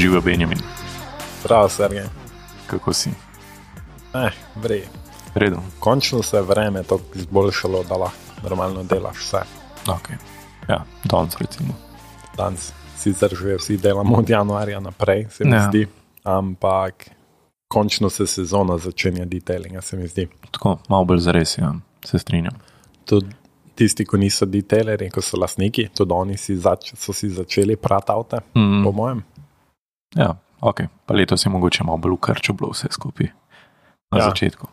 Živijo Benjamin. Zdravo, Sergej. Kako si? Vrej. Redu. Končno se je vreme tako izboljšalo, da lahko normalno delaš vse. Ok. Ja, danes recimo. Danes sicer že vsi delamo od januarja naprej, se mi zdi, ampak končno se sezona začenja detailinga, se mi zdi. Tako, malo bolj zares, ja, se strinjam. Tudi tisti, ko niso detaileri, ko so lastniki, tudi oni so si začeli prati avte, po mojem. Ja, ok. Pa letos je mogoče malo bolj ukrčo bilo vse skupaj na začetku.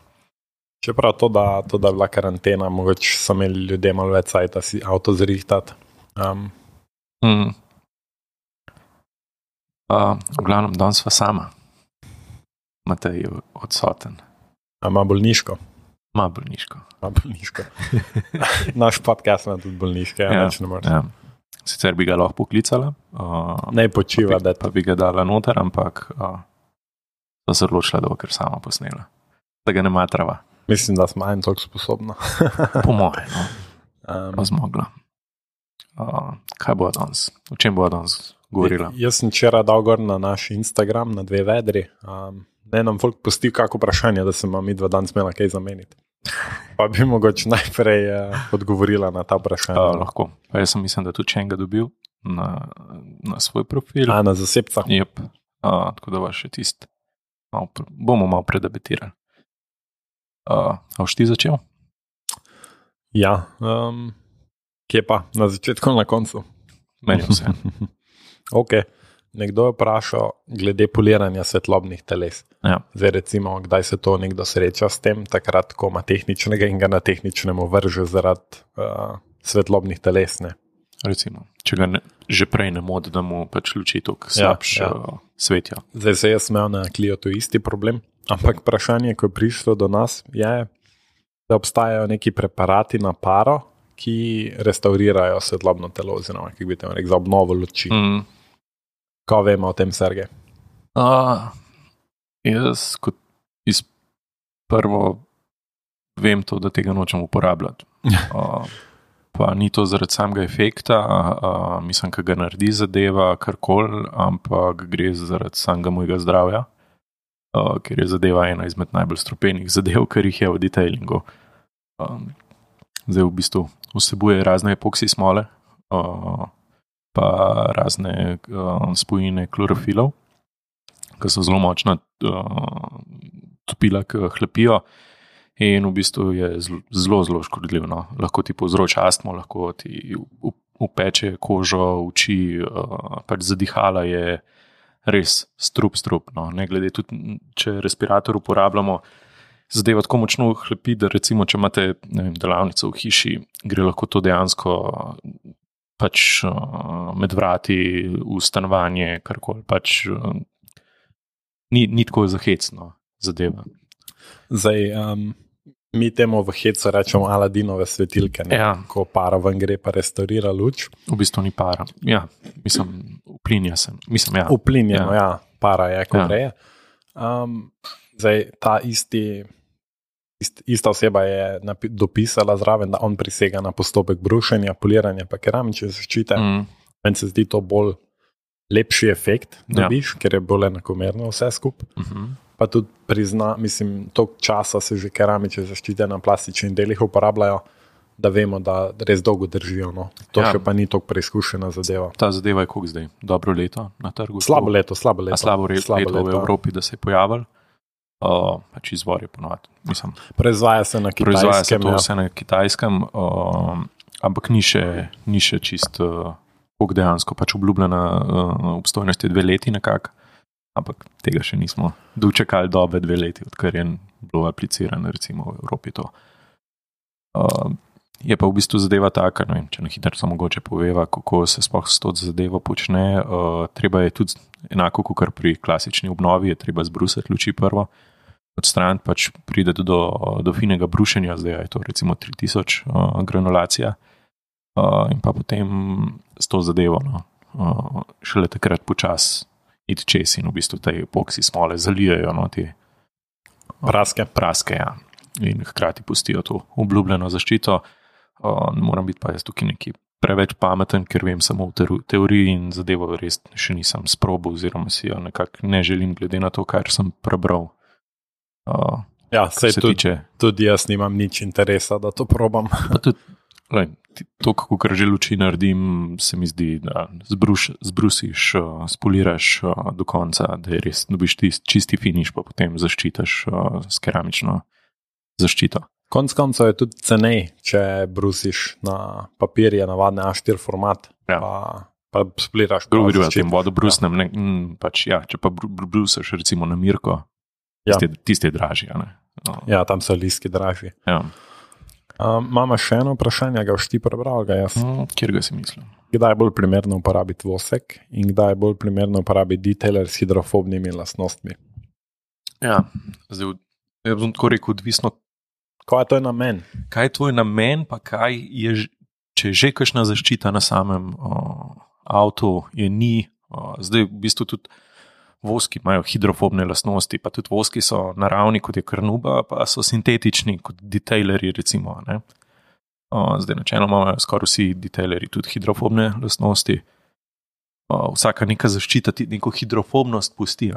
Čeprav to, da je bila karantena, mogoče so imeli ljudje malo več cajta si avto zrihtati. V glavnem, danes sva sama. Matej je odsoten. Ima bolniško. Ima bolniško. Naš podcast ima tudi bolniške, več ne moreš. Ja. Sicer bi ga lahko poklicala. Ne počiva, pa bi ga dala noter, ampak so se odločila, da bo kar sama posnela. Da ga ne matrava. Mislim, da smo en toliko sposobna. Po moje, no. Pa zmogla. Kaj bo danes? O čem bo danes govorila? Jaz sem včeraj dal gor na naš Instagram, na 2 vedri. Ne nam folk pusti kako vprašanje, da se ima midva danes imela kaj zameniti. Pa bi mogoče najprej odgovorila na ta vprašanja. Lahko. Pa jaz sem mislim, da tudi enega dobil na svoj profil. Na zasebca. Jep. Tako da vas še tist. Bomo malo predebatirali. A boš ti začel? Ja. Kje pa? Na začetku ali na koncu? Meni vse. Ok. Nekdo je vprašal glede poliranja svetlobnih teles. Ja. Zdaj recimo, kdaj se to nekdo sreča s tem, takrat, ko ima tehničnega in ga na tehničnemu vrže zaradi svetlobnih teles, ne? Recimo, če ga že prej ne modi, da mu pač luči toliko slabš svetja. Zdaj se jaz imel na Cliotu isti problem, ampak vprašanje, ko je prišlo do nas, je, da obstajajo neki preparati na paro, ki restaurirajo svetlobno telo, oziroma, kako bi te rekel, za obnovo luči. Kaj vemo o tem, Sergej? Jaz kot prvo vem to, da tega nočem uporabljati. Pa ni to zaradi samega efekta, mislim, ka ga naredi zadeva karkoli, ampak gre zaradi samega mojega zdravja, ker je zadeva ena izmed najbolj strupenih zadev, ker jih je v detailingu. Zdaj v bistvu vsebuje razne epoksi smole, pa razne spojine klorofilov, ki so zelo močna topila, ki hlapijo in v bistvu je zelo, zelo škodljiv. No. Lahko ti povzroča astmo, lahko ti upeče kožo, oči, pač zadihala je res strup. No. Ne glede tudi, če respirator uporabljamo, zadeva tako močno hlapi, da recimo, če imate delavnico v hiši, gre lahko to dejansko pač med vrati v stanovanje, karkoli, pač ni tako zahecno zadeva. Zdaj, mi temu v hecu rečemo Aladinove svetilke, ne? Ja. Ko para ven gre pa restaurira luč. V bistvu ni para. Ja, mislim, uplinja sem. Mislim, ja. Uplinjeno, ja, para je, ko gre. Zdaj, ta ista oseba je dopisala zraven, da on prisega na postopek brušenja, poliranja pa keramične zaščite. Meni se zdi to bolj lepši efekt, dobiš, ker je bolj enakomerno vse skupaj. Pa tudi prizna, mislim, toliko časa se že keramične zaščite na plastičnih delih uporabljajo, da vemo, da res dolgo držijo. No. To še pa ni toliko preizkušena zadeva. Ta zadeva je koliko zdaj? Dobro leto na trgu? Slabo leto. Slabo leto v Evropi, da se je pojavil. Pač izvor je ponovati. Proizvaja se na Kitajskem. Proizvaja se to vse na Kitajskem, ampak ni še čist koliko dejansko, pač obljubljena obstojnost je 2 leti nekako, ampak tega še nismo dočekali dobe 2 leti, odkar je bilo aplicirano recimo v Evropi to. Je pa v bistvu zadeva taka, no, če na hitro samo mogoče poveva, kako se sploh s to zadevo počne. Treba je tudi enako, kot pri klasični obnovi, je treba zbrusiti luči prvo, odstraniti, pač pride do finega brušenja, zdaj je to recimo 3000 granulacija, in pa potem s to zadevo, no, šele takrat počas iti čez in v bistvu te epoksi smole zalijajo, no, te praske, ja. In hkrati pustijo to obljubljeno zaščito. Ne moram biti pa jaz tukaj neki preveč pameten, ker vem samo v teoriji in zadevo res še nisem sprobal, oziroma si jo nekako ne želim, glede na to, kar sem prebral. Sej tudi jaz nimam nič interesa, da to probam. To, kako že luči naredim, se mi zdi, da zbrusiš, spoliraš do konca, da je res dobiš čisti finiš, pa potem zaščitaš s keramično zaščito. Konc koncev je tudi cenej, če brusiš na papir, je navadne A4 format, pa spliraš. Drugi v tem vodobrusnem, če pa brusaš recimo na Mirko, tiste je dražji. Ja, tam so listki dražji. Ja. Mama še eno vprašanje, ga boš ti prebral, ga jaz. Kjer ga si mislil? Kdaj je bolj primerno uporabiti vosek in kdaj je bolj primerno uporabiti detailer s hidrofobnimi lastnostmi? Ja, zdaj bom tako rekel, odvisno. Kaj je tvoj namen? Kaj je tvoj namen, pa kaj je, če je že kakšna zaščita na samem avtu, je ni. Zdaj v bistvu tudi voski imajo hidrofobne lastnosti, pa tudi voski so naravni, kot je karnuba, pa so sintetični, kot detailerji recimo. Ne? Zdaj načeloma imajo skoraj vsi detailerji tudi hidrofobne lastnosti. Vsaka neka zaščita ti neko hidrofobnost pusti.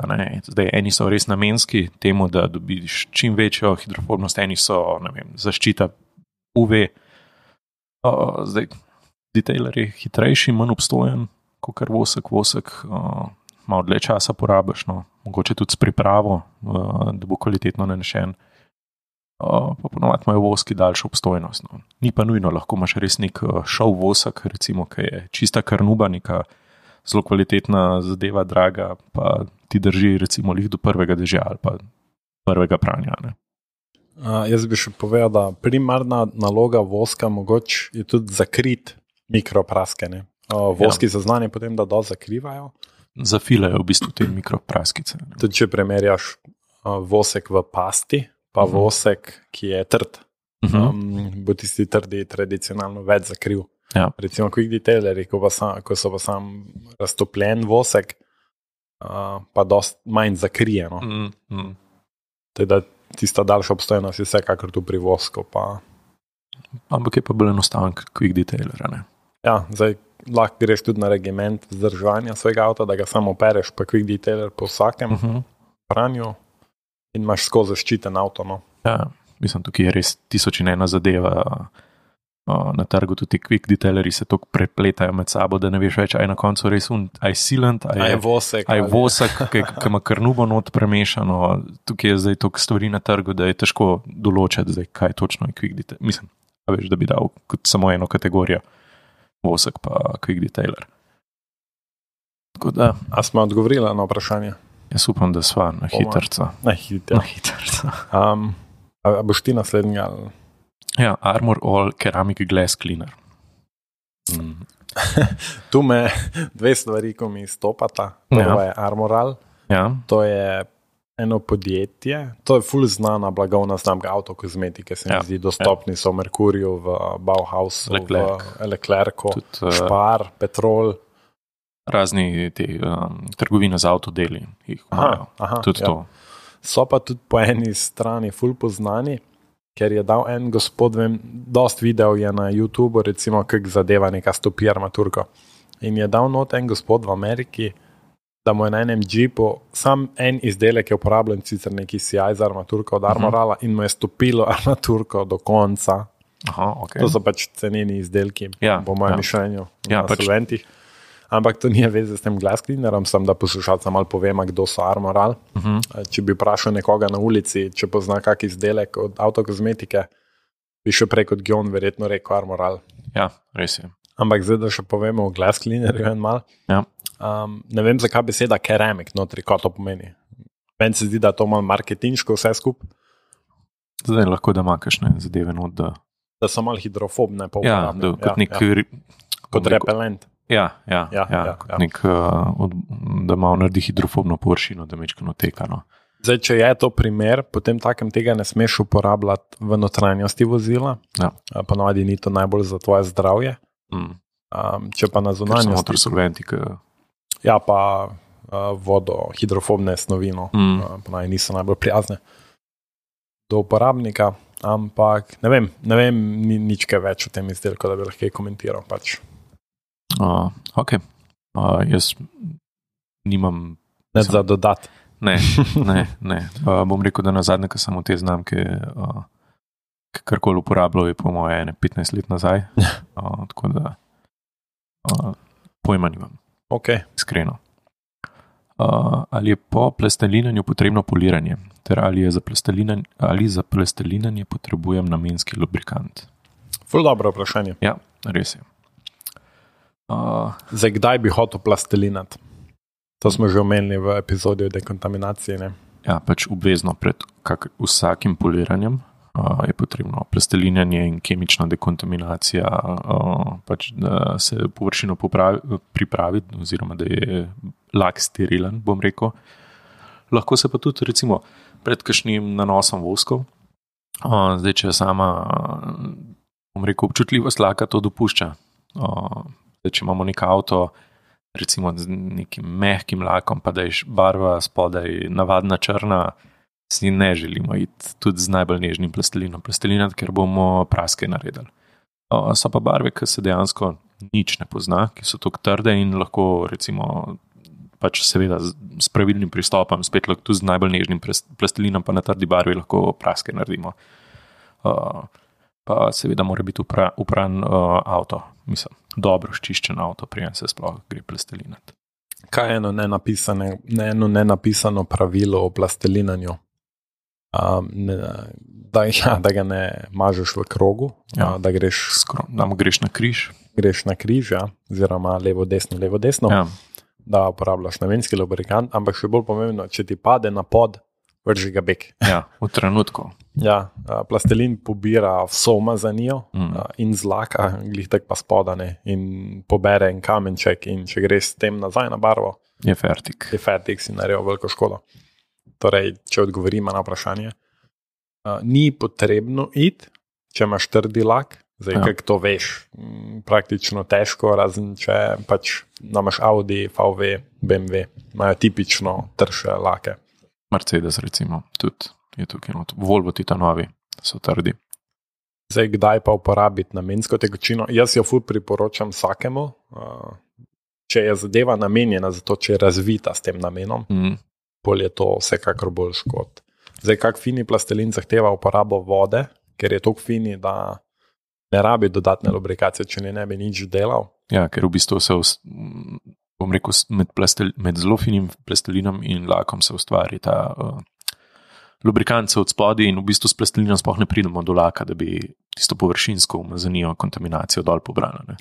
Zdaj, eni so res namenski temu, da dobiš čim večjo hidrofobnost, eni so, ne vem, zaščita UV. Zdaj, detailer je hitrejši, manj obstojen, kot kar vosek, malo dlje časa porabiš, mogoče tudi s pripravo, da bo kvalitetno nanešen. Pa ponovadi imajo voski daljšo obstojnost. Ni pa nujno, lahko imaš res nek šov vosek, recimo, ki je čista karnuba, neka zelo kvalitetna zadeva, draga, pa ti drži recimo lih do prvega dežja ali pa prvega pranja. Jaz bi še povedal, da primarna naloga voska mogoče je tudi zakriti mikropraske. Voski so znani potem, da dosti zakrivajo. Zafilajo v bistvu te mikropraskice. Tudi če primerjaš vosek v pasti, pa vosek, ki je trd, bo tisti trdi tradicionalno več zakril. Ja. Recimo quick detaileri, ko so pa sam raztopljen vosek, pa dosti manj zakrije. Teda tista daljša obstojnost je vsekakor tu pri vosku. Ampak je pa bolj enostaven quick detailer. Ja, zdaj lahko greš tudi na regiment vzdrževanja svojega avta, da ga samo opereš, pa quick detailer po vsakem pranju in imaš skozi zaščiten avto. Ja, mislim, tukaj je res 1001 zadeva. Na trgu tudi quick detaileri se tako prepletajo med sabo, da ne veš več, aj na koncu res aj sealant, aj vosek, ki ima karnubo not premešano. Tukaj je zdaj toliko stvari na trgu, da je težko določiti, zdaj, kaj točno je quick detailer. Mislim, veš, da bi dal kot samo eno kategorijo vosek pa quick detailer. Tako da. A smo odgovorili na vprašanje? Jaz upam, da sva na hitrca. Na hitrca. A boš ti naslednji ali... Ja, Armor All Ceramic Glass Cleaner. Tu me dve stvari, ko mi stopata. Prvo je Armor All. Ja. To je eno podjetje. To je ful znana blagovna znamka avtokozmetike. Se mi zdi, dostopni so v Merkurju, v Bauhausu, v Leclercu, Spar, Petrol. Razni te trgovine z avtodeli jih imajo. Tudi to. So pa tudi po eni strani ful poznani, ker je dal en gospod, dost video je na YouTube, recimo, kak zadeva neka stopi armaturko. In je dal not en gospod v Ameriki, da mu je na enem džipu sam en izdelek je uporabljen, sicer neki CI za armaturko od Armorala in mu je stopilo armaturko do konca. Okay. To so pač ceneni izdelki, po mojem mišljenju, na solventih. Ampak to nije veze s tem glass cleanerom, sem da poslušalcem malo povem, kdo so Armoral. Če bi vprašal nekoga na ulici, če pozna kak izdelek od avtokozmetike, bi še prej kot Gjon verjetno rekel Armoral. Ja, res je. Ampak zdaj, da še povemo o glass cleanerju en mal. Ja. Ne vem, zakaj beseda keramik notri, kaj to pomeni. Meni se zdi, da to malo marketinško vse skup. Zdaj lahko, da ima kakšne zadeve not, da so malo hidrofobne. Ja, kot nek... Kot repelent. Ja, nek, da malo naredi hidrofobno površino, da mečkano teka. Zdaj, če je to primer, potem takem tega ne smeš uporabljati v notranjosti vozila. Ja. Ponovadi ni to najbolj za tvoje zdravje. Če pa na zunanjosti... Ker so notri solventi. Ja, pa vodo, hidrofobne snovi, ponovadi niso najbolj prijazne do uporabnika, ampak ne vem nič kaj več o tem izdelku, da bi lahko komentiral pač. Ok. Jaz nimam... Ne za dodat. Ne. Bom rekel, da na zadnje, ko sem v te znamke karkoli uporabljal, je po moje 15 let nazaj. Tako da pojma nimam. Ok. Iskreno. Ali je po plastelinanju potrebno poliranje? Ter ali za plastelinanje potrebujem namenski lubrikant? Ful dobro vprašanje. Ja, res je. Zdaj, kdaj bi hotel plastelinati? To smo že omenili v epizodi o dekontaminaciji. Ne? Ja, pač obvezno pred vsakim poliranjem je potrebno plastelinanje in kemična dekontaminacija, pač, da se površino pripravi, oziroma da je lak sterilen, bom rekel. Lahko se pa tudi recimo pred kakšnim nanosom voskov. Zdaj, če sama, bom rekel, občutljivost laka to dopušča. Zdaj, če imamo nek avto, recimo z nekim mehkim lakom, pa da je barva spodaj navadna črna, si ne želimo iti tudi z najbolj nežnim plastelinom plastelinat, ker bomo praske naredili. So pa barve, ki se dejansko nič ne pozna, ki so tako trde in lahko recimo pač seveda s pravilnim pristopom, spet lahko tudi z najbolj nežnim plastelinom, pa na trdi barvi lahko praske naredimo. Pa seveda mora biti upran avto, mislim, dobro ščiščen avto, preden se sploh gre plastelinati. Kaj je eno nenapisano pravilo o plastelinanju? Da ga ne mažeš v krogu, da greš na križ. Greš na križ, ja, oziroma levo, desno, ja. Da uporabljaš namenski lubrikant, ampak še bolj pomembno, če ti pade na pod, vrži ga bek. Ja, v trenutku. Ja, plastelin pobira vso umazanijo in zlaka, glih tak pa spodane in pobere en kamenček in če greš s tem nazaj na barvo, je fertik. Si naredil veliko škodo. Torej, če odgovorimo na vprašanje, ni potrebno iti, če imaš trdi lak, zdaj, kako to veš, praktično težko, razen če pač imaš Audi, VW, BMW, imajo tipično trše lake. Mercedes recimo, tudi je tukaj not. Volvo Titanovi so trdi. Zdaj, kdaj pa uporabiti namensko tekočino? Jaz jo ful priporočam vsakemu, če je zadeva namenjena za to, če je razvita s tem namenom, bolj je to vsekakor bolj škod. Zdaj, kak fini plastelin zahteva uporabo vode, ker je toliko fini, da ne rabi dodatne lubrikacije, če ne bi nič delal. Ja, ker v bistvu se, bom rekel, med zelo finim plastelinom in lakom se ustvari ta lubrikant se od spodaj in v bistvu s plastelinom sploh ne pridemo do laka, da bi tisto površinsko umazanijo kontaminacijo dol pobrala. Ne?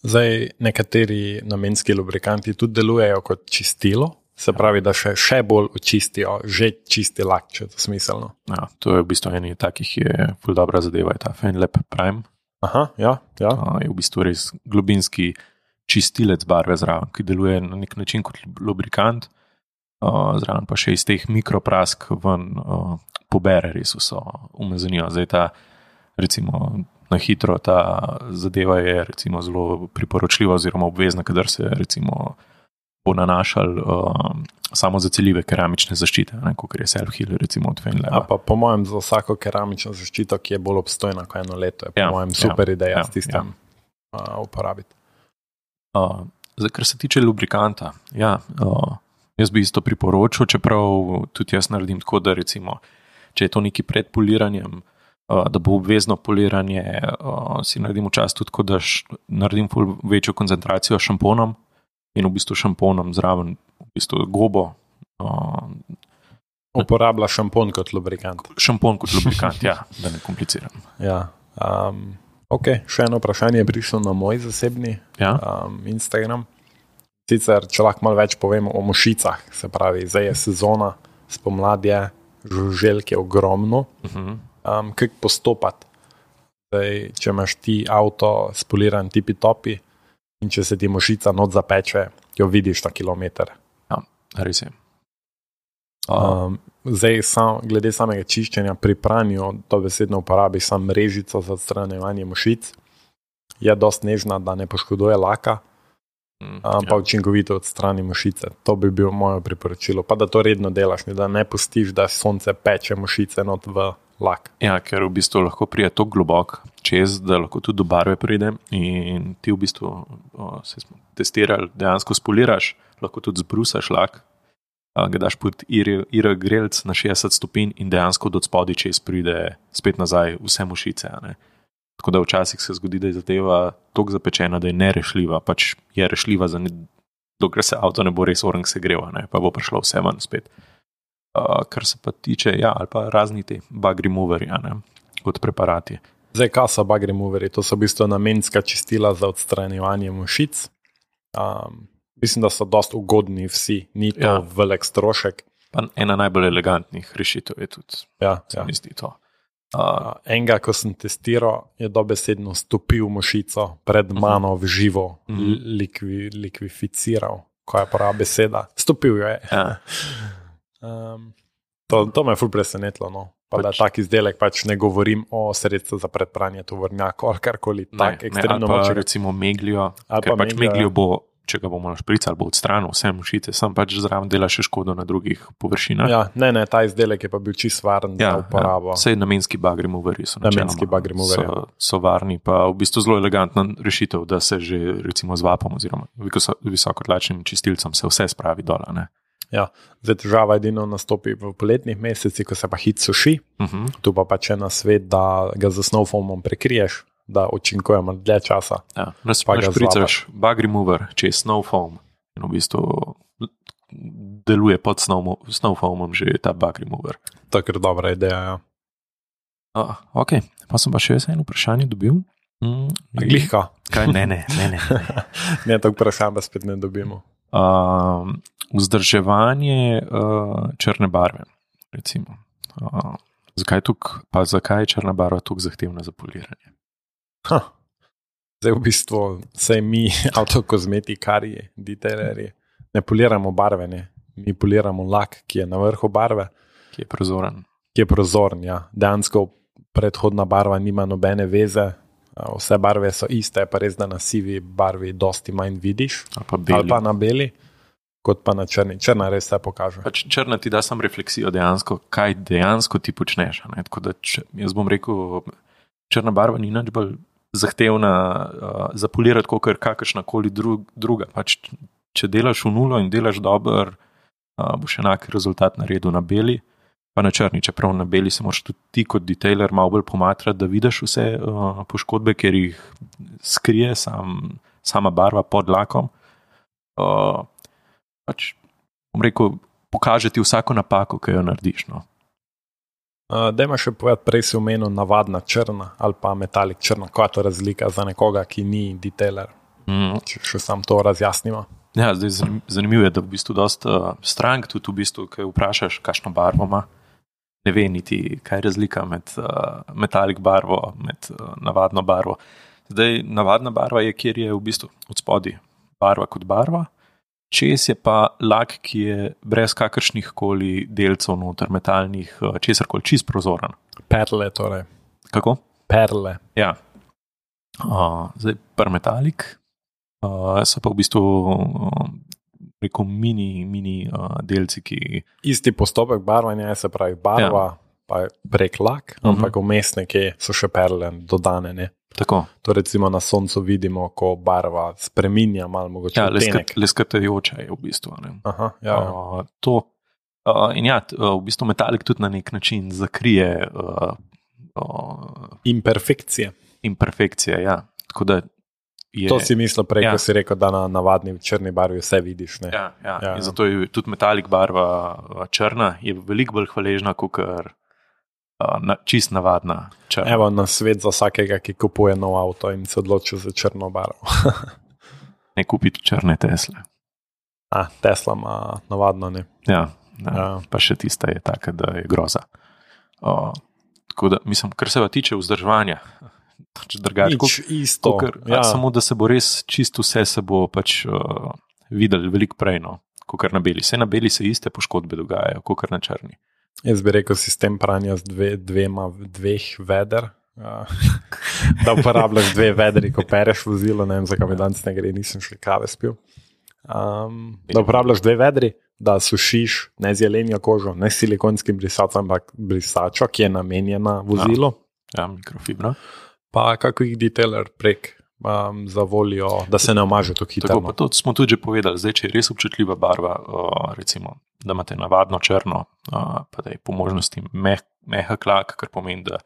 Zdaj, nekateri namenski lubrikanti tudi delujejo kot čistilo, se pravi, da še bolj očistijo že čisti lak, če je to smiselno. Ja, to je v bistvu eni takih je ful dobra zadeva, je ta FainLab Prime. Aha, ja. Je v bistvu res globinski čistilec barve zraven, ki deluje na nek način kot lubrikant, zraven pa še iz teh mikroprask ven pobere res vso umazanijo. Zdaj ta, recimo, na hitro ta zadeva je recimo zelo priporočljiva oziroma obvezna, kadar se recimo bo nanašal samo za celjive keramične zaščite, kot je self-heal recimo od FainLaba. Pa po mojem za vsako keramično zaščito, ki je bolj obstojna kot eno leto, je po mojem super ideja s tistem uporabiti. Zdaj, kar se tiče lubrikanta, jaz bi isto priporočil, čeprav tudi jaz naredim tako, da recimo, če je to neki pred poliranjem, da bo obvezno poliranje, si naredim včasih tudi tako, da naredim večjo koncentracijo s šamponom in v bistvu šamponom zraven, v bistvu gobo. Uporablja šampon kot lubrikant. Šampon kot lubrikant, ja, da ne kompliciram. Ja, ok, še eno vprašanje je prišlo na moj zasebni Instagram. Sicer, če lahko malo več povemo o mušicah, se pravi, zdaj je sezona, spomladje, žuželk je ogromno. Kako postopati? Zdaj, če imaš ti avto spoliran tipi-topi in če se ti mušica not zapeče, jo vidiš na kilometer. Ja, res je. Zdaj, glede samega čiščenja pri pranju, to besedno uporabiš sam mrežico za odstranjevanje mušic. Je dosti nežna, da ne poškoduje laka, pa učinkovito odstrani mušice. To bi bil moje priporočilo. Pa da to redno delaš, da ne pustiš, da sonce peče mušice not v lak. Ja, ker v bistvu lahko pride tako globok čez, da lahko tudi do barve pride in ti v bistvu se smo testirali, dejansko spoliraš, lahko tudi zbrusaš lak, ga daš pod IR grelc na 60 stopinj in dejansko do spodaj čez pride spet nazaj vse mušice. Ne? Tako da včasih se zgodi, da je zadeva toliko zapečena, da je nerešljiva, pač je rešljiva, dokler se avto ne bo res orang segreva, ne? Pa bo prišlo vse ven spet. Kar se pa tiče, ali pa razni te bug removeri, kot preparati. Zdaj, kaj so bug removeri? To so v bistvu namenska čistila za odstranjevanje mušic. Mislim, da so dosti ugodni vsi, ni to velik strošek. Pa ena najbolj elegantnih rešitev je tudi, se mi zdi to. Enega, ko sem testiral, je dobesedno stopil mušico pred mano v živo, likvificiral, ko je prava beseda. Stopil jo je. Ja. To me je ful presenetilo. No. Pa da tak izdelek, pač ne govorim o sredstvu za predpranje tovornjakov ali karkoli tak ekstremno močnega. Ali pa recimo meglijo, ker pač meglijo bo, če ga bomo našpricali, bo odstranil vse mušice, sam pač zraven dela še škodo na drugih površinah. Ja, ne, ta izdelek je pa bil čisto varen za uporabo. Vse namenski bug removeri so namenski bug removeri. So varni, pa v bistvu zelo elegantna rešitev, da se že recimo z vapom oziroma visokotlačnim čistilcem se vse spravi dol, ne. Ja, zdaj težava edino nastopi v poletnih mesecih, ko se pa hit suši. Tu pa pač ena svet, da ga z snow foamom prekriješ, da učinkujemo dlje časa. Ja, špricaš bug remover čez snow foam in v bistvu deluje pod snow foamom že ta bug remover. To je kar dobra ideja, ja. Ok, pa sem pa še eno vprašanje dobil. Glihka. Kaj? Ne. Ne, to vprašanje pa spet ne dobimo. Vzdrževanje črne barve, recimo. Zakaj je črna barva tako zahtevna za poliranje? Zdaj v bistvu vse mi, avtokozmetikarji, detailerji, ne poliramo barve, ne. Mi poliramo lak, ki je na vrhu barve. Ki je prozoren. Ki je prozoren, ja. Dejansko predhodna barva nima nobene veze. Vse barve so iste, pa res, da na sivi barvi dosti manj vidiš. Ali pa na beli, kot pa na črni. Črna res se pokaže. Pač črna ti da sam refleksijo dejansko, kaj dejansko ti počneš. Tako da jaz bom rekel, črna barva ni nič bolj zahtevna za polirati, kot kakršnakoli druga. Pač, če delaš v nulo in delaš dober, boš enak rezultat naredil na beli, pa na črni. Čeprav na beli se moraš tudi ti kot detailer malo bolj pomatrati, da vidiš vse poškodbe, ker jih skrije sama barva pod lakom. Pač, bom rekel, pokaže ti vsako napako, ki jo narediš. No. Dajmo še povedati, prej si omenil navadna črna ali pa metalik črna. Kaj je to razlika za nekoga, ki ni detailer? Če še sam to razjasnimo. Ja, zdaj zanimivo je, da v bistvu dosta strank tudi v bistvu, kaj vprašaš, kakšno barvo ima, ne ve niti, kaj je razlika med metalik barvo, med navadno barvo. Zdaj, navadna barva je, kjer je v bistvu od spodaj barva kot barva, čez je pa lak, ki je brez kakršnih koli delcev noter, metalnih, česarkoli, čist prozoren. Perle torej. Kako? Perle. Ja. Zdaj, metalik so pa v bistvu rekel mini delci, ki... Isti postopek barvanja, se pravi barva, pa prek lak, ampak vmes nekje so še perle dodane, ne? Tako. To recimo na soncu vidimo, ko barva spreminja malo mogoče odtenek. Leskatajoča je v bistvu. Ne? Aha, ja. To. In ja, v bistvu metalik tudi na nek način zakrije imperfekcije. Imperfekcije, ja. Tako da je... To si mislil prej, ko si rekel, da na navadni črni barvi vse vidiš. Ne? Ja. In zato je tudi metalik barva črna, je veliko bolj hvaležna, kot čist navadna črna. Evo na svet za vsakega, ki kupuje nov avto in se odloči za črno barvo. Ne kupiti črne Tesle. Tesla ima navadno, ne. Ja. Pa še tista je taka, da je groza. Tako da, mislim, kar se va tiče vzdrževanja, nič isto. Samo da se bo res čisto vse se bo pač videli veliko prej, no, kot na beli. Vse na beli se iste poškodbe dogajajo, kot na črni. Jaz bi rekel sistem pranja z dveh veder, da uporabljaš dve vedri, ko pereš vozilo, ne vem, zakaj mi danes ne gre, nisem še kave spil. Da uporabljaš dve vedri, da sušiš ne z jelenjo kožo, ne s silikonskim brisačem, ampak brisačo, ki je namenjena vozilu. Ja, mikrofibra. Pa kakih detailer prek za voljo, da se ne omaže to hitro. Tako, pa to smo tudi že povedali. Zdaj, če je res občutljiva barva, recimo, da imate navadno črno, pa da je po možnosti mehak lak, kar pomeni, da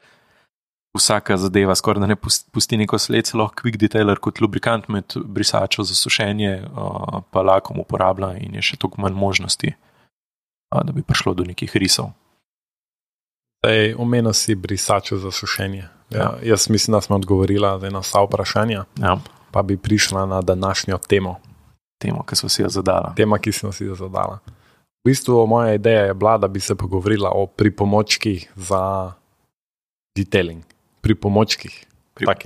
vsaka zadeva skoraj da ne pusti neko sled, celo quick detailer kot lubrikant med brisačo za sušenje pa lakom uporablja in je še toliko manj možnosti, da bi prišlo do nekih risov. Omenil si brisačo za sušenje. Ja, jaz mislim, da smo odgovorila na vsa vprašanja, pa bi prišla na današnjo temo. Temo, ki smo si jo zadala. Tema, ki smo si jo zadala. V bistvu moja ideja je bila, da bi se pogovorila o pripomočkih za detailing. Pripomočkih.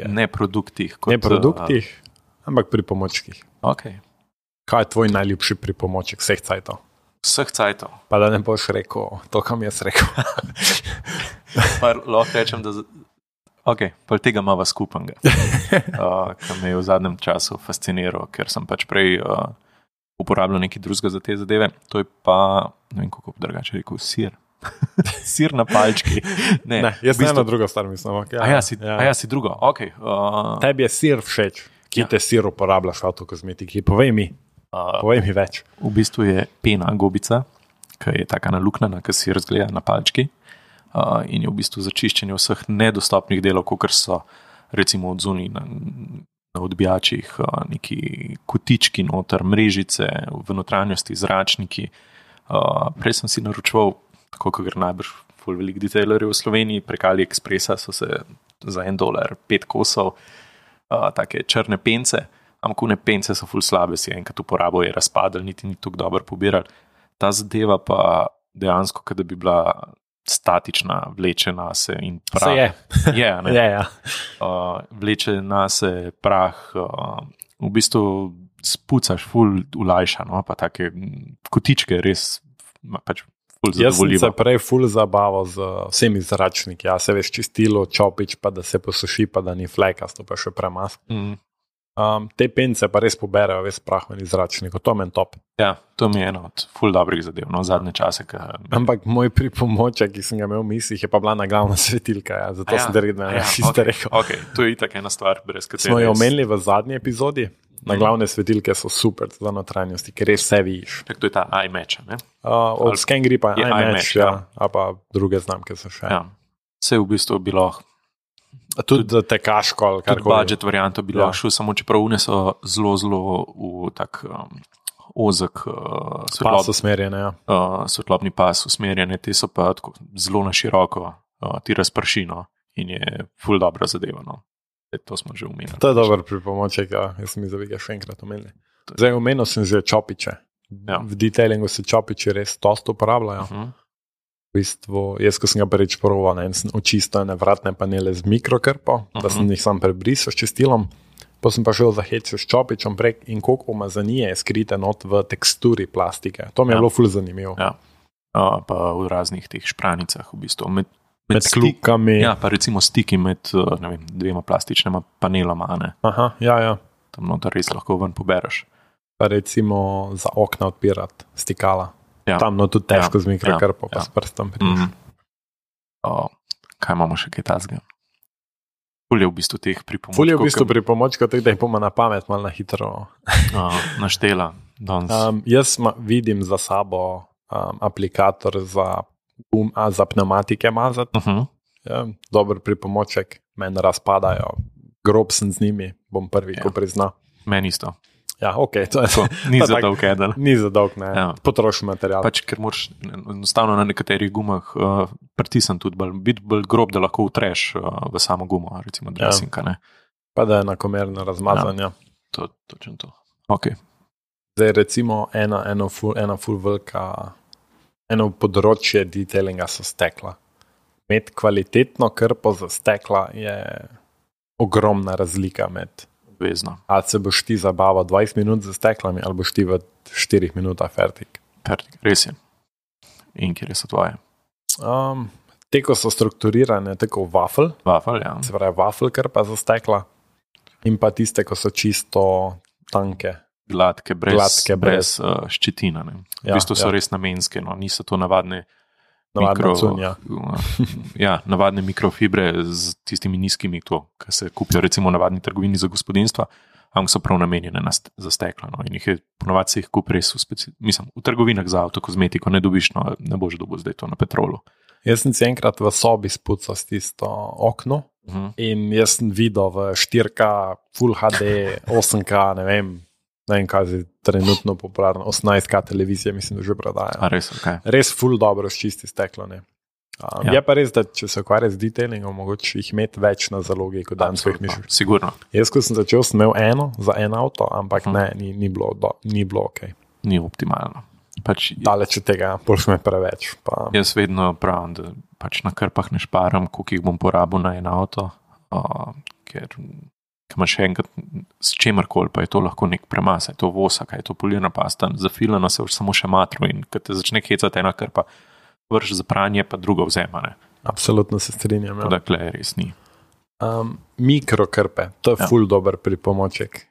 Ne produktih. Ne produktih, ampak pripomočkih. Okay. Kaj je tvoj najljubši pripomoček vseh cajtov? Vseh cajtov. Pa da ne boš rekel to, kam jaz rekel. Lahko rečem, da... Ok, pa tega imava skupnega, ki me je v zadnjem času fasciniral, ker sem pač prej uporabljal nekaj drugega za te zadeve. To je pa, ne vem, kako drugače rekel, sir. Sir na palčki. Ne, jaz eno drugo stvar mislim. Okay, ja, si drugo, ok. Tebi je sir všeč, ki te sir uporabljaš v avtokozmetiki. Povej mi več. V bistvu je pena gobica, ki je taka naluknjena, ki sir zgleda na palčki. In je v bistvu za čiščenje vseh nedostopnih delov, kot so recimo od zunaj na odbijačih, neki kotički noter, mrežice, v notranjosti zračniki. Prej sem si naročval, tako kot gre najbrž ful velik detailerjev v Sloveniji, prek AliExpressa so se za $1 5 kosov take črne pence, ampak one pence so ful slabe, si enkrat uporabo je razpadel, niti ni tako dobro pobiral. Ta zadeva pa dejansko, kada bi bila statična, vleče nase in prah. Se je. Ja. Vleče nase prah, v bistvu spucaš ful ulajša, no? Pa take kotičke res pač ful zadovoljivo. Jaz sem se prej ful zabaval z vsemi zračniki, ja, se veš čistilo, čopič, pa da se posuši, pa da ni flekasto, pa še premaz. Te pence pa res poberajo ves prah v zračniku, to meni top. Ja, to mi je eno od ful dobrih zadev, no, zadnje čase. Ampak moj pripomoček, ki sem ga imel v mislih, je pa bila naglavna svetilka, ja, zato sem te rekel. Ok, to je itak ena stvar, brez katere. Smo jo omenili v zadnji epizodi, naglavne svetilke so super za notranjosti, ker res vse vidiš. Tak, to je ta iMatch, ne? Od ScanGripa je iMatch, ja, a pa druge znamke so še. Ja, vse v bistvu bilo... Tudi tekaško. Tudi budget varianto bi lahko šel, samo čeprav une so zelo v tak ozek svetlobni pas usmerjene, te so pa tako zelo na široko, ti razpršino in je ful dobra zadeva. No. To smo že omenili. To je dober pripomoček, ja. Jaz sem ga še enkrat omenil. Zdaj omenil sem že čopiče. Ja. V detailingu se čopiči res dosta uporabljajo. V bistvu, jaz, ko sem ga prvič proval, sem očistil vratne panele z mikrokrpo, da sem jih sam prebrisal s čistilom, pa sem pa šel za hec s čopičem prek in koliko umazanije je skrite not v teksturi plastike. To mi je bilo ful zanimivo. Ja. Pa v raznih teh špranicah, v bistvu. Med kljukami. Ja, pa recimo stiki med dvema plastičnima paneloma. Ne? Aha, ja. Tam noter res lahko ven pobereš. Pa recimo za okna odpirati stikala. Ja. Tam tudi težko z mikrokrpo, pa s prstom priš. Kaj imamo še kaj tazga? Ful je v bistvu teh pripomočkov. Ful je v bistvu pripomočkov, da jih bomo na pamet malo na hitro naštela. Jaz vidim za sabo aplikator za pneumatike mazati. Ja, dober pripomoček, meni razpadajo. Grob sem z njimi, bom prvi, ko prizna. Meni isto. Ja, ok, to je to. Ni za dolg eden. Ni za dolg, ne. Ja. Potrošen material. Pač, ker moraš enostavno na nekaterih gumah pritisniti tudi biti bolj grob, da lahko utreš v samo gumo, recimo dresinka, ne. Pa da je enakomerno razmazanje. Ja. Točno to. Ok. Zdaj recimo eno ful velika, eno področje detailinga so stekla. Imeti kvalitetno krpo za stekla je ogromna razlika med vezno. Ali se boš ti zabaval 20 minut za steklami, ali boš ti v 4 minutah fertik. Res je. In kjer so tvoje? Te, ko so strukturirane, tako wafel, ja. Se pravi wafel krpa za stekla, in pa tiste, ko so čisto tanke, gladke, brez ščetina. V bistvu so res namenske, niso to navadne navadne mikrofibre z tistimi nizkimi, ki se kupijo recimo v navadni trgovini za gospodinstva, ampak so prav namenjene za steklo. In ponovadi se jih kupi res v trgovinah za avtokozmetiko, ne dobiš, ne boš dobil zdaj to na Petrolu. Jaz sem si enkrat v sobi spucal s tisto okno in jaz sem videl v 4K, Full HD, 8K, ne vem kaj je trenutno popularno, 18K televizije, mislim, da že prodaja. Res, okay. Res full dobro sčisti steklo. Je pa res, da če se ukvarja z detailingom, mogoče jih imeti več na zalogi, kot dan svojih misliš. Sigurno. Jaz, ko sem začel, sem imel eno za en avto, ampak ni bilo ok. Ni optimalno. Daleč od tega, boš me preveč. Jaz vedno pravim, da na krpah ne šparam, koliko jih bom porabil na en avto, ker imaš enkrat s čemarkoli, pa je to lahko nek premasa, je to vosak, je to polirna pasta, zafilana se samo še matro in ko te začne hecati ena krpa, vrš za pranje, pa drugo vzema. Absolutno se strinjam. Dakle, res ni. Mikrokrpe, to je ful dober pripomoček.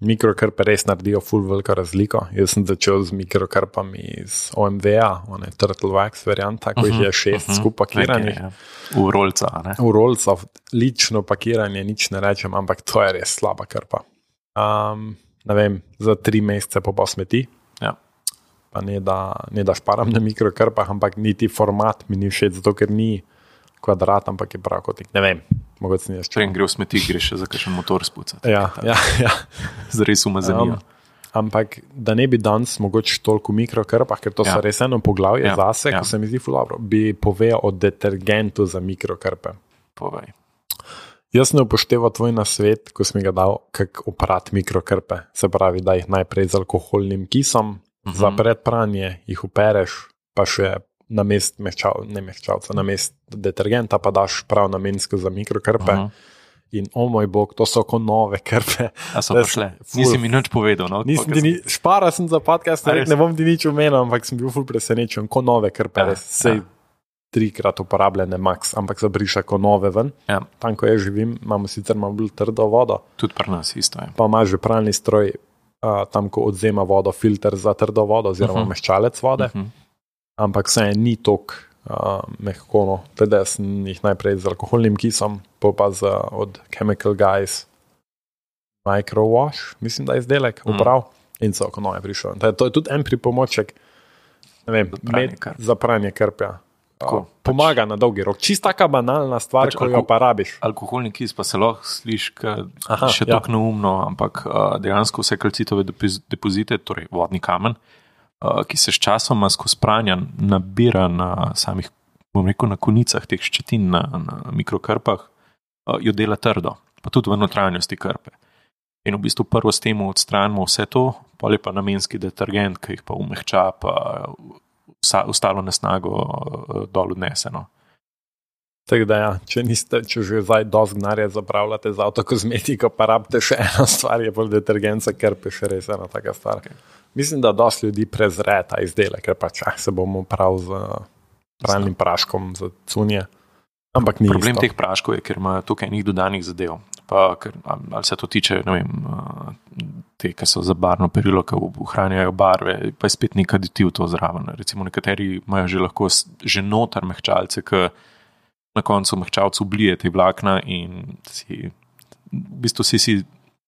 Mikrokrpe res naredijo ful veliko razliko. Jaz sem začel z mikrokrpami iz OMV-a, Turtle Wax varianta, ko jih je 6 skupaj pakiranih. V rolca, ne? V rolca, lično pakiranje, nič ne rečem, ampak to je res slaba krpa. Ne vem, za 3 mesece pa smeti. Ja. Pa ne da šparam na mikrokrpah, ampak niti format mi ni všeč, zato ker ni kvadrat, ampak je pravkotnik. Ne vem, mogoče ni jaz čujem. Preden gre v smeti, greš še za kakšen motor spucati. Ja. Zares umazanijo. Ampak da ne bi danes mogoče toliko v mikrokrpah, ker to so res eno poglavje zase, ko se mi zdi ful dobro, bi povedal o detergentu za mikrokrpe. Povej. Jaz ne upošteval tvoj nasvet, ko si mi ga dal, kako oprati mikrokrpe. Se pravi, da jih najprej z alkoholnim kisom, za predpranje jih upereš, pa še namest detergenta pa daš prav namensko za mikrokrpe. In moj bog, to so kot nove krpe. A so prišle? Nisi mi nič povedal. Špara sem za podcast, ne bom ti nič omenil, ampak sem bil ful presenečen, kot nove krpe. Sej 3-krat uporabljene max, ampak se briša kot nove ven. Tam, ko jaz živim, imamo sicer bolj trdo vodo. Tudi pri nas isto je. Pa imaš že pralni stroj, tam, ko odzema vodo, filter za trdo vodo oziroma mehčalec vode. Ampak vse ni tok mehko. Teda sem jih najprej z alkoholnim kisom, pa od Chemical Guys Microwash, mislim, da je izdelek uprav in so kot nove prišel. To je tudi en pripomoček, ne vem, za pranje krpja. Pomaga na dolgi rok. Čist taka banalna stvar, ko jo pa rabiš. Alkoholni kis pa se lahko sliši še tako neumno, ampak dejansko vse kalcitove depozite, torej vodni kamen, ki se s časoma skozi pranja nabira na samih, bom rekel, na konicah teh ščetin na mikrokrpah, jo dela trdo, pa tudi v notranjosti krpe. In v bistvu prvo s tem odstranimo vse to, potem pa namenski detergent, ki jih pa umehča, pa ostalo nesnago dol odnese. Tako da če že zdaj dosti denarja zapravljate za avtokozmetiko, pa rabite še eno stvar, je bolj detergent za krpe, še res ena taka stvar. Okay. Mislim, da dosti ljudi prezre ta izdelek, ker pač se bomo prav z pralnim praškom za cunje. Ampak ni problem isto. Teh praškov je, ker ima tukaj enih dodanih zadev. Pa, ali se to tiče, ne vem, te, ki so za barvno perilo, ki ohranjajo barve, pa je spet nek aditiv to zraven. Recimo nekateri imajo že lahko že notar mehčalce, ki na koncu mehčalcu blije te vlakna in v bistvu si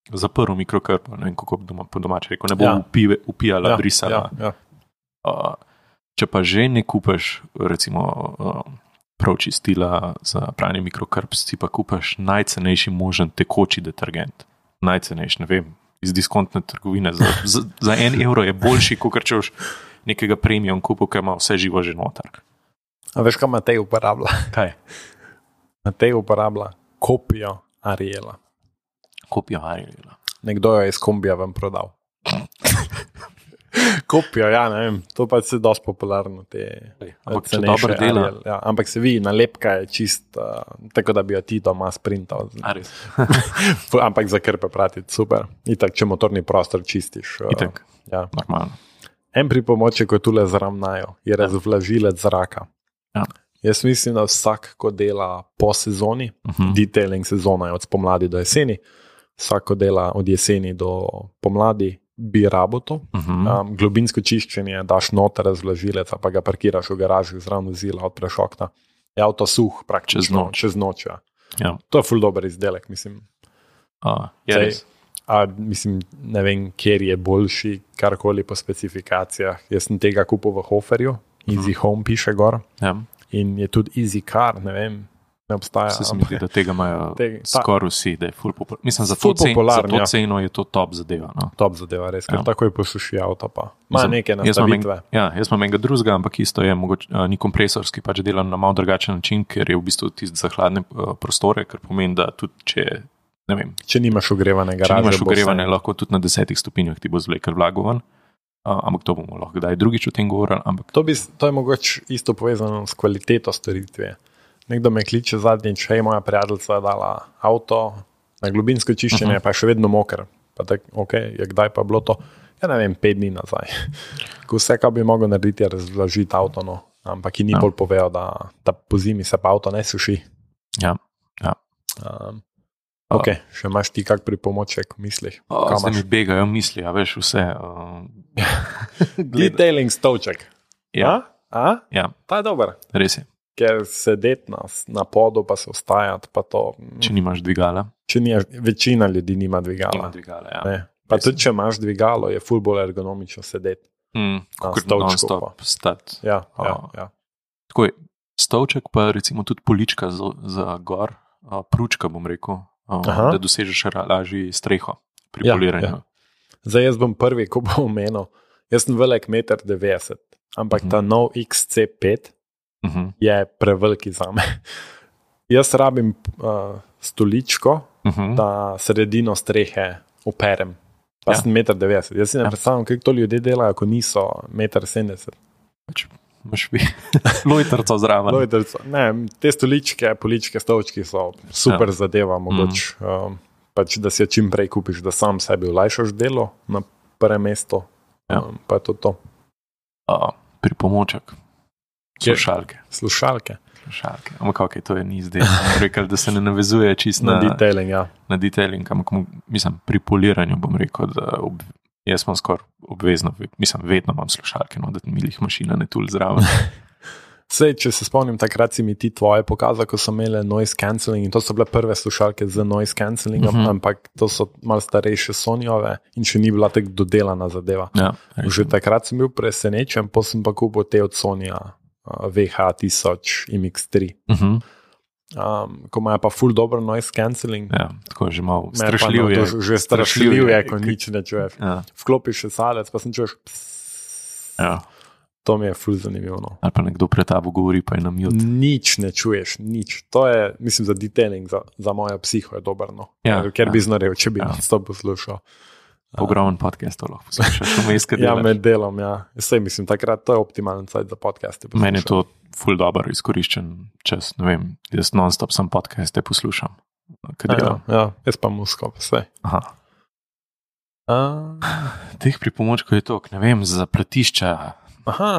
zaprl mikrokrpo, ne vem, kako po domače rekel, ne bo upijala, brisala. Če pa že ne kupaš, recimo, prav čistila za pranje mikrokrp, si pa kupaš najcenejši možen tekoči detergent. Najcenejši, ne vem, iz diskontne trgovine. Za 1 evro je boljši, kot če boš nekega premium kupu, ki ima vse živo že notar. A veš, kaj Matej uporablja? Kaj? Matej uporablja kopijo Ariela. Kopijo Ariela. Nekdo jo je iz kombija vam prodal. Kopijo, ne vem, to pa je dosti popularno. Ampak če dobro dela. Ampak se vidi, nalepka je čist, tako da bi jo ti doma sprintal. Ampak za krpe pratiti, super. Itak, če motorni prostor čistiš. Itak, normalno. En pripomoček, ko tule zravnajo, je razvlažilec zraka. Jaz mislim, da vsak, ko dela po sezoni, detailing sezona je od spomladi do jeseni, vsak, ko dela od jeseni do pomladi, bi rabo to. Globinsko čiščenje, daš noter razvlažilec, pa ga parkiraš v garaži zraven vozila, odpreš okna. Je avto suh praktično čez noč. Ja. To je ful dober izdelek, mislim. Mislim, ne vem, kjer je boljši, karkoli po specifikacijah. Jaz sem tega kupil v Hoferju, Easy Home piše gor. Ja. In je tudi Easy Car, ne vem, ne obstaja. Se mi zdi, da tega imajo skoraj vsi, da je ful popularno. Mislim, za to ceno je to top zadeva. No. Top zadeva, res, ker tako je posuši avto pa. Ima neke nastavitve. Jaz imam enega drugega, ampak isto je, mogoče ni kompresorski, pač delam na malo drugačen način, ker je v bistvu tisti za hladne prostore, ker pomeni, da tudi če, ne vem. Če nimaš ogrevane garaže. Če nimaš ogrevane, lahko tudi na 10 stopinjah ti bo zvlekel vlago ven. Ampak to bomo lahko kdaj drugič o tem govorili. Ampak... To je mogoče isto povezano s kvaliteto storitve. Nekdo me kliče zadnjič, hej, moja prijateljica je dala avto na globinsko čiščenje, pa je še vedno moker. Pa tak, je kdaj pa bilo to? Ja, ne vem, 5 dni nazaj. Vse, kar bi mogel narediti, je razložiti avto, no. Ampak ki ni bolj povedal, da po zimi se pa avto ne suši. Ja. Še imaš ti kak pripomoček v mislih? Zdaj mi begajo misli, veš vse. Detailing stolček. Ja. Ja. Ta je dober. Res je. Ker sedeti na podu pa se ostajati, pa to... Če nimaš dvigala. Večina ljudi nima dvigala. Nima dvigala, ja. Ne. Pa tudi, če imaš dvigalo, je ful bolj ergonomično sedeti. Kot non-stop stati. Ja. Tako je, stolček pa recimo tudi polička za gor, pručka bom rekel, da dosežeš lažji streho pri poliranju. Ja. Zdaj jaz bom prvi, ko bom omenil, jaz sem velik 1,90 m, ampak ta nov XC5 je preveliki zame. Jaz rabim stoličko, da sredino strehe operem. Pa sem 1,90 m. Jaz si ne predstavljam, kako to ljudje delajo, ko niso 1,70 m. Imaš bi lojtrco zraven. Ne, te stoličke, poličke, stolčki so super zadeva, mogoče. Pač, da si jo čim prej kupiš, da sam sebi olajšaš delo na prvem mestu. Pa je to. Pripomoček. Slušalke. Ampak to je ni zdaj. Rekel, da se ne navezuje čisto na detailing, ja. Na detailing, ampak mislim, pri poliranju bom rekel, da jaz sem skoraj obvezno, mislim, vedno imam slušalke, no, da mi jih mašina ne tul zraven. Sej, če se spomnim, takrat si mi ti tvoje pokazal, ko so imeli noise cancelling in to so bile prve slušalke z noise cancellingom, ampak to so malo starejše Sonyove in še ni bila tako dodelana zadeva. Ja, že takrat sem bil presenečen, pa sem pa kupil te od Sonya VH1000 MX3. Ko imajo pa ful dobro noise cancelling. Ja, tako je že malo strašljiv je. Že strašljiv je, ko nič ne čuješ. Ja. Vklopiš še salec, pa sem čuješ Ja. To mi je ful zanimivo. No. Ali pa nekdo pred tabo govori, pa je na mute. Nič ne čuješ, nič. To je, mislim, za detailing, za mojo psiho je dobro. No. Ker bi znorel, če bi nas to poslušal. Ogromen podcast lahko poslušaš. Med delom, ja. Sej, mislim, takrat to je optimalen cajt za podcaste. Meni je to ful dobro izkoriščen čas, ne vem, jaz non-stop sam podcaste poslušam. Ja, jaz pa musko, vse. Aha. Teh pripomočkov je toliko, ne vem, za platišča.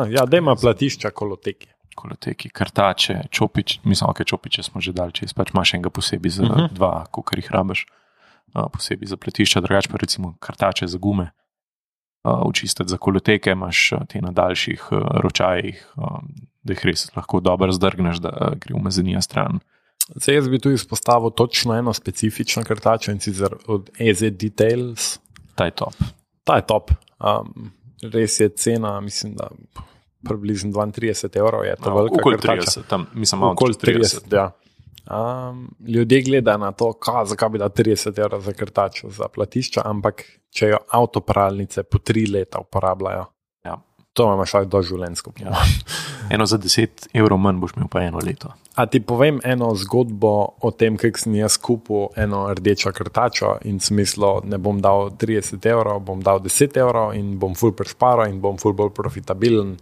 Ja, da ima platišča koloteki, kartače, čopiče smo že dali čez, pač imaš enega posebej za dva, kolikor jih rabiš, posebej za platišča, drugače pa recimo kartače za gume, učistiti za koloteke, imaš te na daljših ročajih, da jih res lahko dobro zdrgneš, da gre umazanija stran. Zdaj jaz bi tu izpostavil točno eno specifično kartačo in sicer od EZ Details. Ta je top. Res je cena, mislim, da približno 32 evrov je to velika kartača. 30, tam, mislim, malo okoli 30. Ja. Ljudje gledajo na to, zakaj bi da 30 evrov za kartačo za platišča, ampak če jo avtopralnice po 3 leta uporabljajo, to imaš doživljenjsko. Ja. Eno za 10 evrov manj boš imel pa 1 leto. A ti povem eno zgodbo o tem, kako sem jaz kupil eno rdečo kartačo in smislo, ne bom dal 30 evrov, bom dal 10 evrov in bom ful prešparal in bom ful bolj profitabilen.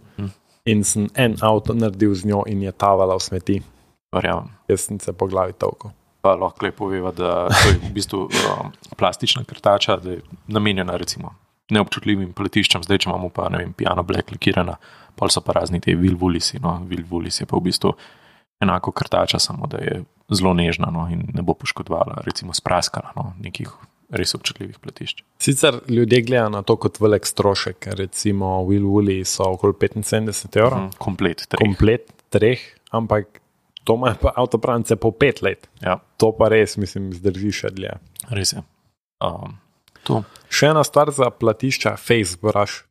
In sem en avto naredil z njo in je tavala v smeti. Verjamem. Jaz sem se po glavi tolko. Pa lahko poveva, da to je v bistvu plastična kartača, da je namenjena recimo neobčutljivim platiščem, zdaj če imamo pa, ne vem, piano black lakirana, pol so pa razni te Vilvulisi, no, Vilvulis je pa v bistvu enako kartača, samo da je zelo nežna, no, in ne bo poškodovala, recimo spraskala, no, nekih res občutljivih platišč. Sicer ljudje gledajo na to kot velik strošek, recimo Will Woolley so okoli 75 evrov. Komplet treh, ampak to ima pa avtoprance po 5 let. Ja. To pa res, mislim, zdrži še dlje. Res je. Še ena stvar za platišča, face brush.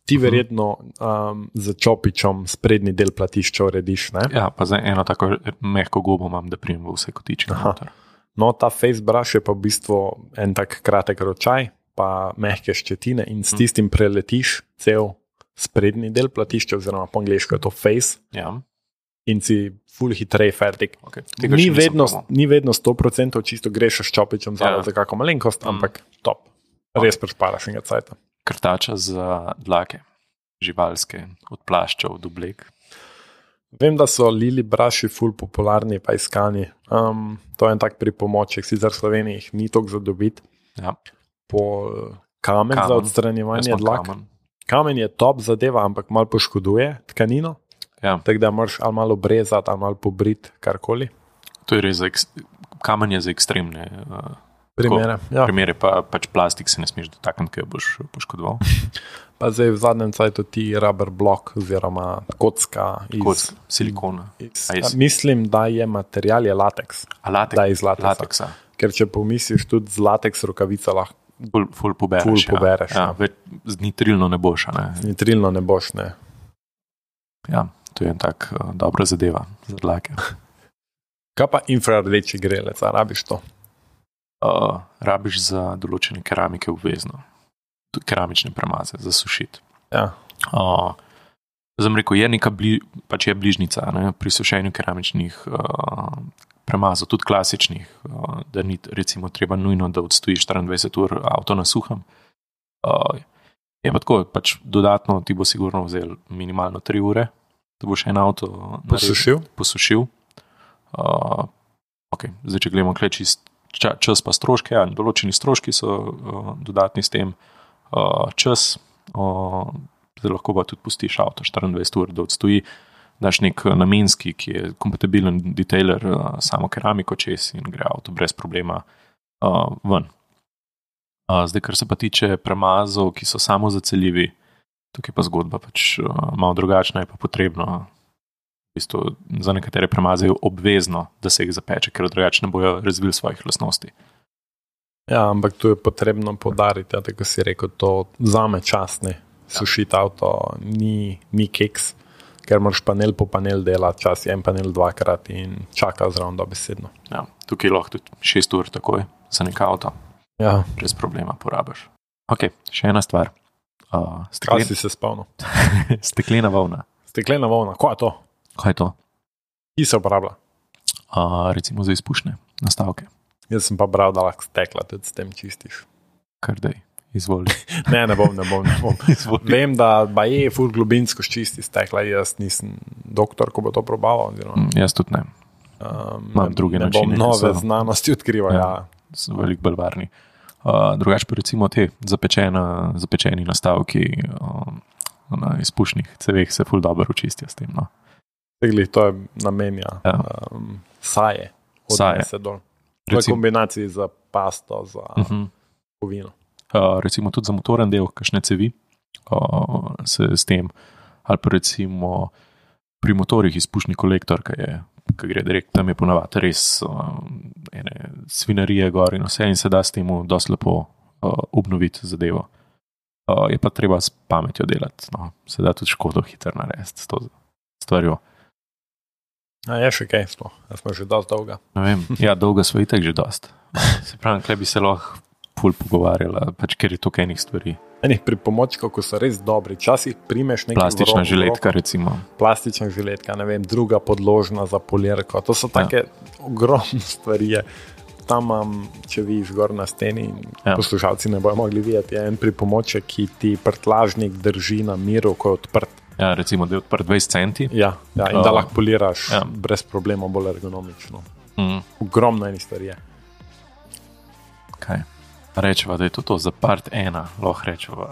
Ti verjetno za čopičom sprednji del platišča urediš, ne? Ja, pa zdaj eno tako mehko gobo imam, da prijem v vse kotičke. No, ta face brush je pa v bistvu en tak kratek ročaj, pa mehke ščetine in s tistim preletiš cel sprednji del platišča, oziroma po angleško je to face. Ja. In si ful hitrej fertik. Okay. Ni vedno 100% čisto greš s čopičem za kako malenkost, ampak top. Res prešparaš enega cajta. Krtača za dlake, živalske, od plaščev do oblek. Vem, da so lili braši ful popularni pa iskani. To je en tak pripomoček, sicer v Sloveniji jih ni toliko za dobiti. Ja. Kamen za odstranjevanje dlak. Kamen je top zadeva, ampak malo poškoduje tkanino. Ja. Tako da moraš ali malo brezati, ali malo pobriti, karkoli. To je res, kamen je za ekstremne primere, pa pač plastik se ne smeš dotakniti, ker boš poškodoval. Pa zdaj v zadnjem cajtu ti rubber block oziroma kocka iz silikona. Mislim, da je material je lateks. Da je iz lateksa. Ker če pomisliš tudi z lateks rokavica lahko ful pobereš. Ja. Z nitrilno ne boš. Z nitrilno ne boš, ne. Ja, to je en tak dobra zadeva za dlake. Kaj pa infrardeči grelec, a rabiš to? Rabiš za določene keramike obvezno. Keramične premaze, za sušiti. Ja. Zdaj rekel, je bližnica, ne, pri sušenju keramičnih premazov, tudi klasičnih, da ni recimo treba nujno, da odstojiš 24 ur avto na suhem. Je pa tako, pač dodatno ti bo sigurno vzel minimalno 3 ure, da boš en avto posušil. Zdaj, če gledamo kle čist čas pa stroške, določeni stroški so dodatni s tem čas, zdaj lahko pa tudi pustiš avto 24 ur, da odstoji, daš nek namenski, ki je kompatibilen detailer, samo keramiko čez in gre avto brez problema ven. Zdaj, kar se pa tiče premazov, ki so samo zaceljivi, tukaj pa zgodba pač malo drugačna, je pa potrebno za nekatere premaze je obvezno, da se jih zapeče, ker drugače ne bojo razvili svojih lastnosti. Ja, ampak tu je potrebno poudariti, tako si rekel, to vzame čas, ne. Sušiti avto ni keks, ker moraš panel po panel delati, čas je en panel 2-krat in čaka zraven dobesedno. Ja, tukaj lahko tudi 6 ur takoj za nek avto. Ja. Brez problema porabiš. Ok, še ena stvar. Kaj si se spomnil? Steklena volna. Steklena volna, kaj je to? Kaj je to? Ki se uporablja? Recimo za izpušne nastavke. Jaz sem pa bral, da lahko stekla tudi s tem čistiš. Kar dej, izvoli. Ne bom. Vem, da je ful globinsko čisti stekla, jaz nisem doktor, ko bo to probaval. Jaz tudi ne. Imam druge načine. Ne bom nove znanosti odkrival, ja. So veliko bolj varni. Drugače pa recimo te zapečeni nastavki na izpušnih ceveh se ful dobro očistijo s tem, no. To je namenja saje. Se dol. To je kombinaciji za pasto, za kovino. Recimo tudi za motoren del, kakšne cevi se s tem, ali pa recimo pri motorjih izpušni kolektor, ki gre direkt, tam je ponavadi res ene svinarije gor in vse in se da s temu dosti lepo obnoviti zadevo. Je pa treba s pametjo delati, no. Se da tudi škodo hitro narediti s to stvarjo. Je še kaj sploh, smo že dosti dolga. Ne vem, ja, dolga smo itak že dosti. Se pravi, kle bi se lahko ful pogovarjala, pač ker je to enih stvari. Enih pripomočkov, ko so res dobri, časih primeš nekaj plastična žiletka recimo. Plastična žiletka, ne vem, druga podložna za polirko, to so take ogromne stvari. Tam imam, če vidiš gor na steni, poslušalci ne bojo mogli videti, je en pripomoček, ki ti prtlažnik drži na miru, ko je odprt. Ja, recimo, da je odprt 20 centi. Ja, in da lahko poliraš brez problema, bolj ergonomično. Ogromno enih stvari je. Kaj? Rečeva, da je to za part 1, lahko rečeva.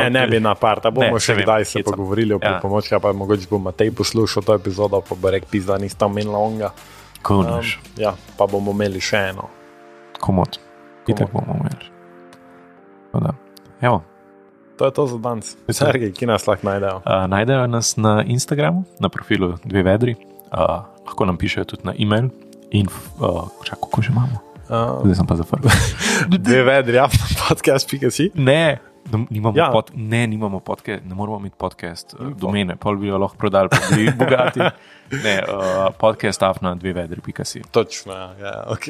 Ne bi na part, bomo še kdaj se pogovorili o pripomočkih, pa mogoče bo Matej poslušal to epizodo, pa bo rekel, pizda, nista menila onga. Konaš. Ja, pa bomo imeli še eno. Komod. Itak bomo imeli. Evo. To je to za danes. Sergej, ki nas lahko najdejo? Najdejo nas na Instagramu, na profilu Dve vedri. Lahko nam pišejo tudi na e-mail. Kako že imamo? Zdaj sem pa zaprl. Dve vedri, podcast.si? Ne, nimamo podcast, ne moramo imeti podcast domene, pol bi jo lahko prodali, pa bi bogati. Ne, podcast.dvevedri.si. Točno, ja, ok.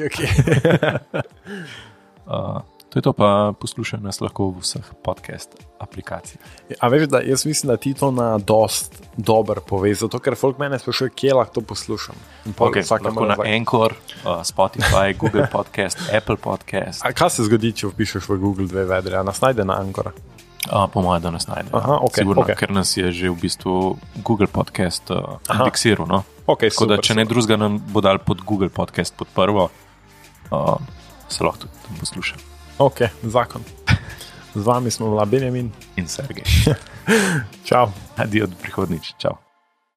To je to, pa poslušaj nas lahko v vseh podcast aplikacijah. A veš, da jaz mislim, da ti to na dost dober pove, zato ker folk mene sprašuje, kje lahko to poslušam. Lahko na Anchor, Spotify, Google Podcast, Apple Podcast. A kaj se zgodi, če vpišeš v Google Dve vedri? A nas najde na Anchor? Po mojem, da nas najde. Aha, sigurno, ker nas je že v bistvu Google Podcast indeksiral. No? Tako da, če ne drugega nam bo dal pod Google Podcast pod prvo, se lahko tudi tam posluša. Ok, zakon. Z vami smo bila Benjamin in Sergej. Čau. Adijo do prihodnič. Čau.